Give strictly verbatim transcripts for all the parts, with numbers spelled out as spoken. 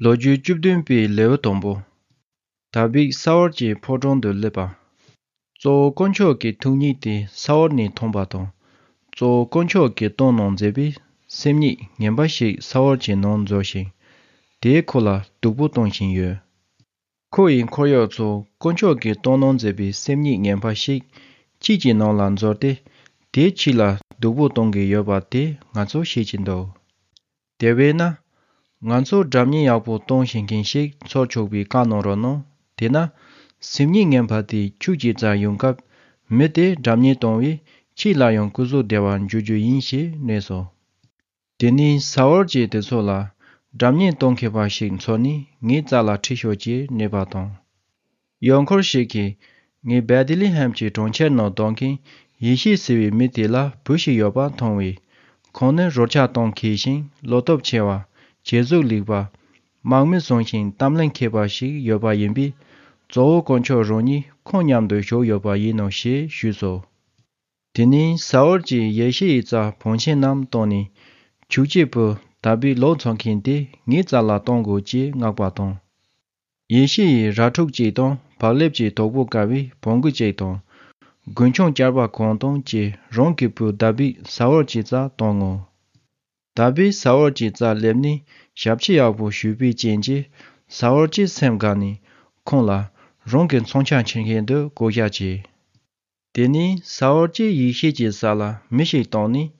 ལོ་རྒྱུས་བཅུ་བདུན་པའི་ལེའུ་དང་པོ། དཱ་བིད་ས་ཨོལ་གྱི་ཕོ་བྲང་དུ་སླེབས་པ། གཙོ་བོ་དཀོན་མཆོག་གི་ཐུགས་ཉིད་དེ་ས་ཨོལ་ནས་མཐོང་བ་དང་། གཙོ་བོ་དཀོན་མཆོག་གིས་གཏོང་གནང་མཛད་པའི་སེམས་ཉིད་ངན་པ་ཞིག་ས་ཨོལ་གྱི་ནང་འཛུལ་ཞིང་། དེས་ཁོ་ལ་སྡུག་པོ་གཏོང་བཞིན་ཡོད། ཁོ་ཡི་འཁོར་གཡོག་ཚོ་དཀོན་མཆོག་གིས་གཏོང་གནང་མཛད་པའི་སེམས་ཉིད་ངན་པ་ཞིག་ཁྱེད་ཀྱི་ནང་ལ་འཛུལ་ཏེ། དེས་ཁྱེད་ལ་སྡུག་པོ་གཏོང་གི་ཡོད་པ་དེ་ང་ཚོ་ཤེས་ཀྱི་འདུག་དེ་བས་ན། ང་ཚོ་སྒྲ་སྙན་ཡག་པོ་གཏོང་ཤེས་མཁན་ཞིག་འཚོལ་ཆོག་པའི་བཀའ་གནང་རོགས་གནང་། དེས་ན། སེམས་ཉིད་ངན་པ་དེ་ཁྱོད་ཀྱི་རྩར་ཡོང་སྐབས། མི་དེས་སྒྲ་སྙན་གཏོང་བས་ཁྱེད་ལ་ཡང་སྐུ་གཟུགས་བདེ་བར་འཇུག་རྒྱུ་ཡིན་ཞེས་སྨྲས་སོ། དེ་ནས་ས་ཨོལ་གྱིས་དེ་ཚོ་ལ། སྒྲ་སྙན་གཏོང་མཁས་པ་ཞིག་འཚོལ་ནས་ངའི་རྩ་ལ་ཁྲིད་ཤོག་ཅེས་སྨྲས་པ་དང་། གཡོག་འཁོར་ཞིག་གིས། ངས་བེ་ཐི་ལེ་ཧེམ་གྱི་གྲོང་ཁྱེར་ནང་སྡོད་མཁན་ཡེ་ཤེས་ཟེར་བའི་མི་དེ་ལ་བུ་ཞིག་ཡོད་པ་མཐོང་བས། ཁོང་ནི་རོལ་ཆ་གཏོང་མཁས་ཤིང་བློ་སྟོབས་ཆེ་བ། བྱད་གཟུགས་ལེགས་པ། དམག་མི་བཟང་ཞིང་གཏམ་གླེང་མཁས་པ་ཞིག་ཡོད་པ་ཡིན་པས། གཙོ་བོ་དཀོན་མཆོག་རང་ཉིད་ཁོང་མཉམ་དུ་བཞུགས་ཡོད་པ་ཡིན་ནོ་ཞེས་ཞུས་སོ། དེ་ནས་ས་ཨོལ་གྱིས་ཡེ་ཤེ་ཡི་རྩར་བང་ཆེན་རྣམས་བཏང་ནས། ཁྱོད་ཀྱི་བུ་དཱ་བིད་ལོག་འཚོལ་མཁན་དེ་ངའི་རྩ་ལ་གཏོང་དགོས་ཅེས་མངགས་པ་དང་། ཡེ་ཤེ་ཡིས་ར་ཕྲུག་ཅིག་དང་བག་ལེབ་ཀྱི་དོག་པོ་བཀབ་པའི་བོང་གུ་ཅིག་དང་། རྒུན་ཆང་སྐྱར་པ་གང་དང་བཅས་རང་གི་བུ་དཱ་བིད་ས་ཨོལ་གྱི་རྩར་བཏང་ངོ་། དཱ་བིད་ས་ཨོལ་གྱི་རྩར་སླེབས་ནས་ཞབས་ཕྱི་ཡག་པོ་ཞུས་པའི་རྐྱེན་གྱིས། ས་ཨོལ་གྱི་སེམས་དགའ་ནས་ཁོང་ལ་རང་གི་མཚོན་ཆ་འཁྱེར་མཁན་དུ་བསྐོ་བཞག་བྱས། དེ་ནས་ས་ཨོལ་གྱིས་ཡེ་ཤེ་གྱི་ས་ལ་མི་ཞིག་བཏང་ནས།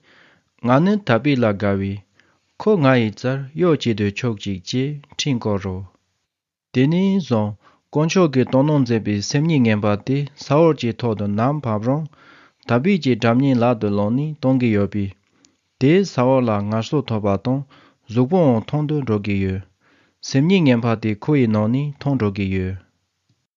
ང་ནི་དཱ་བིད་ལ་དགའ་བས། ཁོ་ང་ཡི་རྩར་གཡོག་བྱེད་དུ་ཆོག་ཅིག་ཅེས་ཁྲིད་བཀོད་རོ། དེ་ནས་བཟུང་དཀོན་མཆོག་གིས་གཏོང་གནང་མཛད་པའི་སེམས་ཉིད་ངན་པ་དེ་ས་ཨོལ་གྱི་ཐོག་ཏུ་ནམ་བབས་རུང་། དཱ་བིད་ཀྱི་སྒྲ་སྙན་ལག་ཏུ་བླངས་ནས་གཏོང་གི་ཡོད་པས། དེས་ས་ཨོལ་ལ་ངལ་གསོ་ཐོབ་པ་དང་གཟུགས་པོའང་ཐང་དུ་འགྲོ་གི་ཡོད། སེམས་ཉིད་ངན་པ་དེ་ཁོ་ཡི་ནང་ནས་ཐོན་འགྲོ་གི་ཡོད།